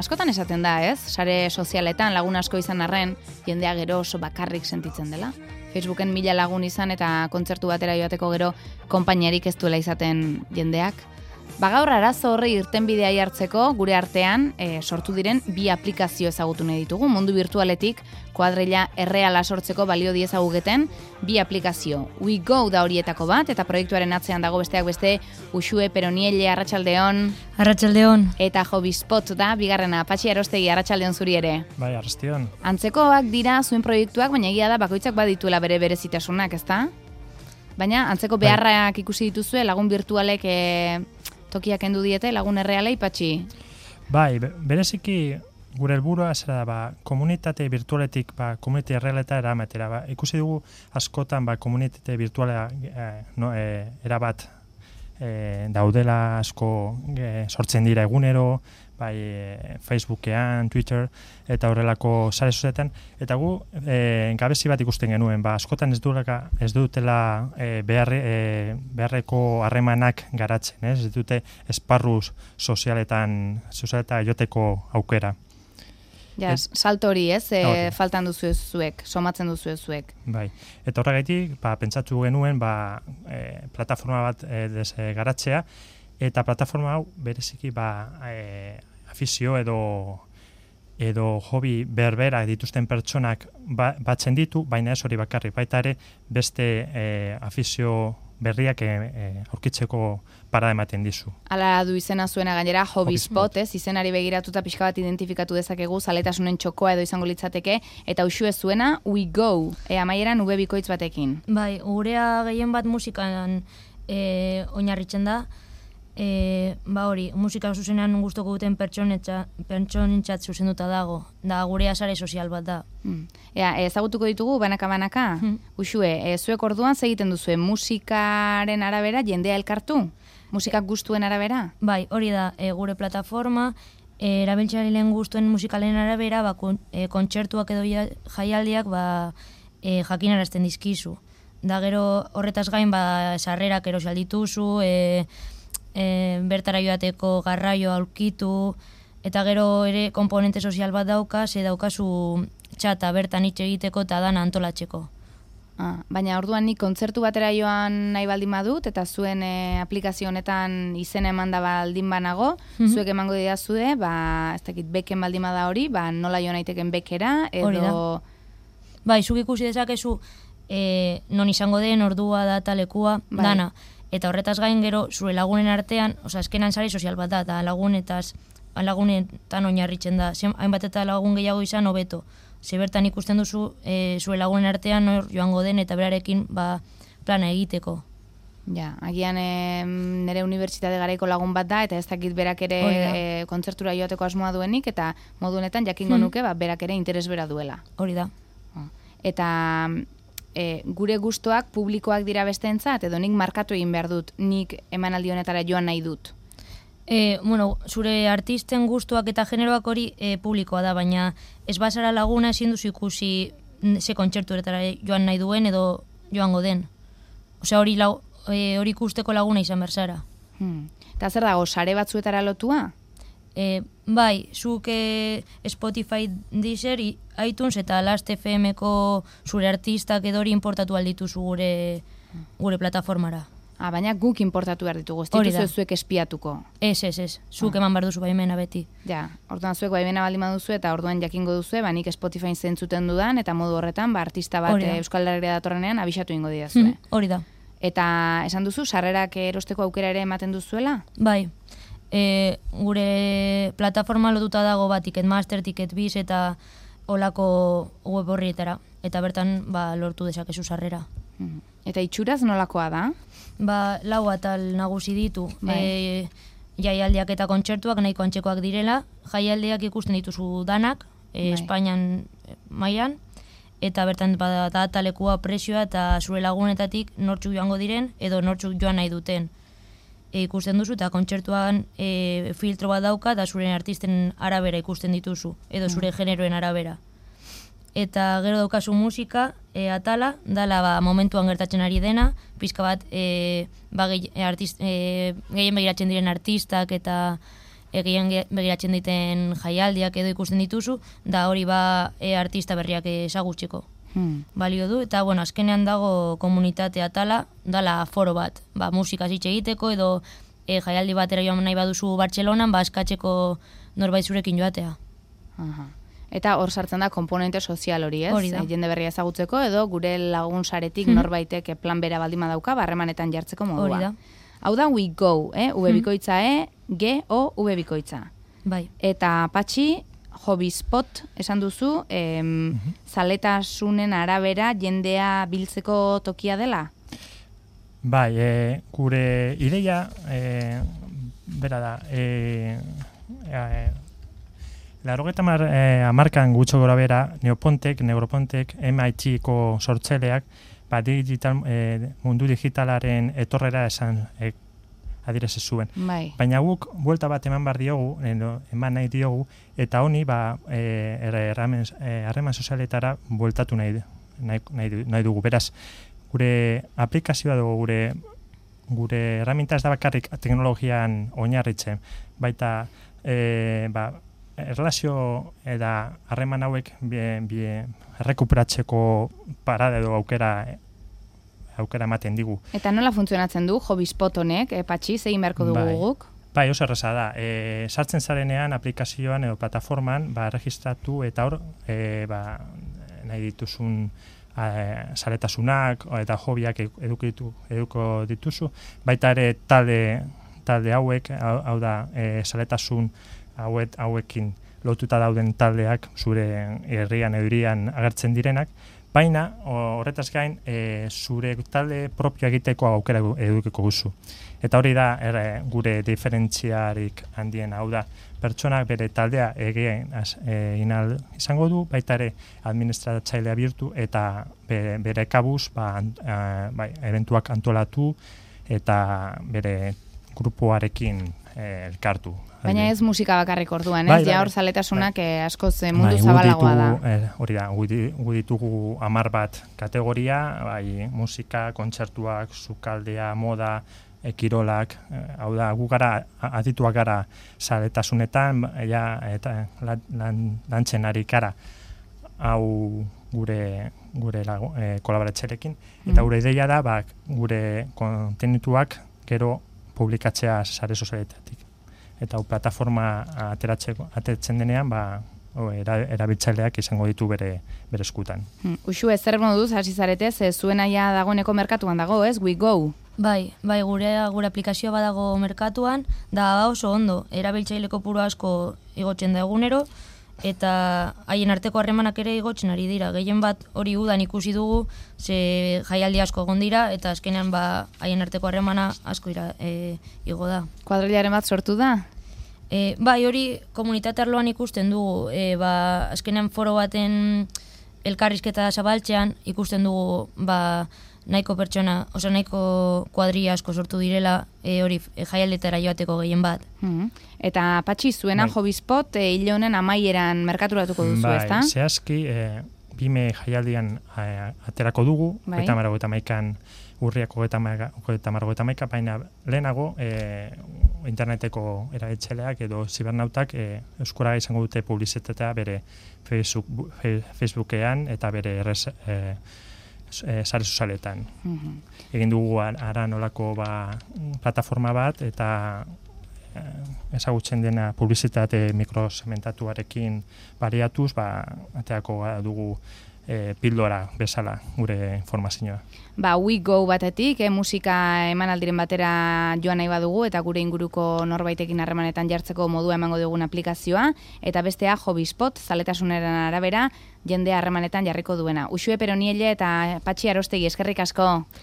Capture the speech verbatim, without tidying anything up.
Askotan esaten da, ez? Sare sozialetan lagun asko izan arren, jendea gero oso bakarrik sentitzen dela. Facebooken mila lagun izan eta kontzertu batera joateko gero konpainiarik ez duela izaten jendeak. Bagaur arazo horri irtenbidea jartzeko gure artean e, sortu diren bi aplikazio ezagutu nahi ditugu. Mundu virtualetik kuadrilla erreala sortzeko balio diezaguketen bi aplikazio. We Go da horietako bat eta proiektuaren atzean dago besteak beste Uxue Peronielle Arratsaldeon. Arratsaldeon. Eta Hobbyspot da bigarrena. Patxi Arostegi Arratsaldeon zuri ere. Bai, arrastion. Antzekoak dira zuen proiektuak, baina egia da bakoitzak badituela bere berezitasunak, ezta? Baina antzeko beharrak ikusi dituzue lagun virtualek e, tokiak kendu diete lagun errealei, Patxi? Bai, bereziki gure helburua zera da, ba, komunitate virtualetik ba, komunitate errealeta eramatera. Ba, ikusi dugu askotan ba, komunitate virtuala eh, no, eh, erabat eh, daudela asko eh, sortzen dira egunero, bai e, Facebookean, Twitter eta horrelako sare sozialetan, eta gu e, gabezi bat ikusten genuen, ba, askotan ez dutela, ez dutela e, beharre, e, beharreko harremanak garatzen, ez, ez dute esparru sozialetan, sozialeta joteko aukera. Ja, Ez, salto hori, ez, e, hori. faltan duzu zuek, somatzen duzu zuek. Bai, eta horregaitik, ba, pentsatu genuen, ba, e, plataforma bat e, des, e, garatzea, eta plataforma hau bereziki ba, e, afizio edo edo hobi berberak dituzten pertsonak ba, batzen ditu, baina ez hori bakarrik, baita ere beste e, afizio berriak e, e, aurkitzeko parada ematen dizu. Hala du izena zuena gainera, Hobbyspot, Hobbyspot. ez, izenari begiratuta pixka bat identifikatu dezakegu, zaletasunen txokoa edo izango litzateke, eta Uxue zuena, We Go, e, amaieran ube bikoitz batekin. Bai, gurea gehien bat musikan e, oinarritzen da. E, ba hori, musika zuzenean gustoko duten pertsonentzat zuzenduta dago. Da gurea sare sozial bat da. Hmm. Ea, ezagutuko ditugu banaka-banaka? Hmm. Uxue, e, zuek orduan zer egiten duzue, musikaren arabera jendea elkartu? Musikak gustuen arabera? Bai, hori da, e, gure plataforma, e, erabiltzaileen gustuen musikalen arabera, ba, kon, e, kontzertuak edo ja- jaialdiak ba, e, jakinarazten dizkizu. Da gero horretaz gain, ba, sarrerak erosi aldituzu, e, E, bertara joateko garraio aurkitu, eta gero ere komponente sozial bat dauka, ze daukazu txata bertan hitz egiteko eta dana antolatzeko. Ah, baina orduan nik kontzertu batera joan nahi baldin badut, eta zuen e, aplikazio honetan izena eman da baldin banago, Mhm. zuek emango didazue, ba, ez dakit beken baldin bada hori, ba, nola joan naiteken bekera, Hori edo... Bai, zuk ikusi dezakezu e, non izango den, ordua, data, lekua, Bai. dana. Eta horretaz gain gero zure lagunen artean, osea, eskenan sare sozial bat da, eta lagunetaz, lagunetan oinarritzen da. Zen, hainbat eta lagun gehiago izan hobeto. Ze bertan ikusten duzu e, zure lagunen artean nor joango den eta berarekin ba, plana egiteko. Ja, agian e, nire unibertsitate garaiko lagun bat da, eta ez dakit berak ere Hori da. e, kontzertura joateko asmoa duenik, eta modu honetan jakingo Hmm. nuke, ba, berak ere interes bera duela. Hori da. Eta e, gure gustoak publikoak dira besteentzat, edo nik markatu egin behar dut, nik emanaldi honetara joan nahi dut. E, bueno, zure artisten gustuak eta generoak hori e, publikoa da, baina ez bazara laguna ezin duzu ikusi ze kontzertuetara joan nahi duen edo joango den. Osea, hori lau, e, hori ikusteko laguna izan berzara. Hmm. Eta zer dago, sare batzuetara lotua? E, bai, zuk e, Spotify, Deezer, i- iTunes eta Last F M-ko zure artistak edo hori importatu aldituzu gure, gure plataformara. Ah, baina guk importatu behar ditugu, ez Hori da. dituzu zuek espiatuko. Ez, ez, ez. Zuk Ah. eman behar duzu baimena beti. Ja, orduan zuek baimena baldin baduzu eta orduan jakingo duzu, ba nik Spotify zentzuten dudan, eta modu horretan, ba, artista bat Hori da. e, Euskal Herria datorrenean abisatu ingo didazue. Mhm, hori da. Eta esan duzu, sarrerak erosteko aukera ere ematen duzuela? Bai, e, gure plataforma lotuta dago ba, Ticketmaster, Ticketbiz eta olako web horrietara. Eta bertan ba, lortu dezakezu sarrera. Mhm. Eta itxuraz nolakoa da? Ba, lau atal nagusi ditu. Bai. E, jaialdiak eta kontzertuak nahiko antzekoak direla. Jaialdiak ikusten dituzu danak, e, Bai. Espainian e, mailan, eta bertan ba, data, lekua, prezioa eta zure lagunetatik nortzuk joango diren edo nortzuk joan nahi duten. E, ikusten duzu eta kontzertuan e, filtro bat dauka eta zure artisten arabera ikusten dituzu, edo zure generoen arabera. Eta gero daukazu musika, e, atala, dala ba, momentuan gertatzen ari dena, pizka bat e, ba, gehi, e, artist, e, gehien begiratzen diren artistak eta egien begiratzen diten jaialdiak edo ikusten dituzu, da hori ba e, artista berriak ezagutzeko. Hmm. Balio du, eta bueno, azkenean dago komunitate atala, dala foro bat, ba, musikaz hitz egiteko edo e, jaialdi batera joan nahi baduzu Bartzelonan, ba, eskatzeko norbait zurekin joatea. Aha. Eta hor sartzen da komponente sozial hori, ez? Hori da. E, jende berria ezagutzeko edo gure lagun saretik hmm. norbaitek plan bera baldima dauka, barremanetan jartzeko modua. Hori da. Hau da We Go, eh? V bikoitza E, G, O, V bikoitza. Bai. Eta Patxi, Hobbyspot esan duzu, em, mm-hmm. zaletasunen arabera jendea biltzeko tokia dela? Bai, e, gure ideia, e, bera da, e, e, Larogeta mar, eh, amarkan gutxo gora bera, Neopontek, Neuropontek, M I T-ko sortzeleak, ba, digital, eh, mundu digitalaren etorrera esan eh, adirez zuen. Bai. Baina guk, buelta bat eman bar diogu, eman nahi diogu, eta honi, ba, harreman eh, eh, sozialetara bueltatu nahi, nahi, nahi, nahi dugu. Beraz, gure aplikazioa dugu, gure, gure herramienta ez da bakarrik teknologian oinarritzen, baita, eh, ba, erlazio eta harreman hauek bien, bien, errekuperatzeko parada edo aukera aukera ematen digu. Eta nola funtzionatzen du Hobbyspot honek, e, Patxi, zein beharko dugu bai. guk? Bai, oso erraza da. E, sartzen zarenean aplikazioan edo plataforman ba, registratu eta hor e, ba, nahi dituzun e, zaletasunak eta hobiak edukitu, eduko dituzu. Baita ere talde, talde hauek, hau, hau da, e, zaletasun hauet, hauekin lotuta dauden taldeak zure herrian edurian agertzen direnak, baina horretaz gain e, zure talde propio egiteko aukera edukiko guzu. Eta hori da er, gure diferentziarik handien, hau da, pertsonak bere taldea egin egin ahal izango du, baita ere administratzailea bihurtu eta bere, bere kabuz ba, a, bai, eventuak antolatu eta bere grupoarekin e, elkartu. Baina ez musika bakarrik orduan, ez? Bai, bai, ja hor zaletasunak bai. askoz mundu bai, zabalagoa da. Eh, hori da, gu ditugu hamar bat kategoria, bai, musika, kontzertuak, sukaldea, moda, ekirolak, eh, hau da, gu gara, adituak gara zaletasunetan, ja, eta lan, lantzen ari gara, hau gure gure lagu, eh, kolaboratzerekin, eta mm. gure ideia da, ba, gure kontenituak gero publikatzea sare sozialetatik. Eta hau plataforma ateratzeko atetzen denean, ba, o, era, erabiltzaileak izango ditu bere bere eskutan. Hmm. Uxu, ez zer moduz hasi zaretez, ez zuen aia dagoeneko merkatuan dago, ez? We Go. Bai, bai, gure gure aplikazioa badago merkatuan, da oso ondo, erabiltzaile kopuru asko igotzen da egunero, eta haien arteko harremanak ere igotzen ari dira. Gehien bat hori udan ikusi dugu, ze jaialdi asko egon dira, eta azkenean ba haien arteko harremana asko ira, e, igo da. Kuadrilaren bat sortu da? E, bai, hori komunitate arloan ikusten dugu, e, ba, azkenean foro baten elkarrizketa zabaltzean ikusten dugu ba, nahiko pertsona, oza, nahiko kuadria asko sortu direla, e, hori e, jaialdetara joateko gehien bat. Mm-hmm. Eta Patxi, zuena bai. Hobbyspot e, hile honen amaieran merkaturatuko duzu, bai, ezta? Bai, zehazki, e, bime jaialdian e, aterako dugu, bai. eta marago eta maikan urriak ogeta margo maika, baina lehenago e, interneteko erabiltzaileak edo zibernautak e, euskara izango dute publizitatea bere Facebook, Facebookean eta bere errez, e, e, sare sozialetan. Mm-hmm. Egin dugu ara nolako ba, plataforma bat eta e, ezagutzen dena publizitate mikrosegmentatuarekin baliatuz, ba, ateako dugu E, pildora bezala gure informazioa. Ba, We Go batetik, eh, musika emanaldiren batera joan nahi badugu eta gure inguruko norbaitekin harremanetan jartzeko modua emango dugun aplikazioa, eta bestea Hobbyspot, zaletasunaren arabera, jendea harremanetan jarriko duena. Uxue Peronielle eta Patxi Arostegi, eskerrik asko.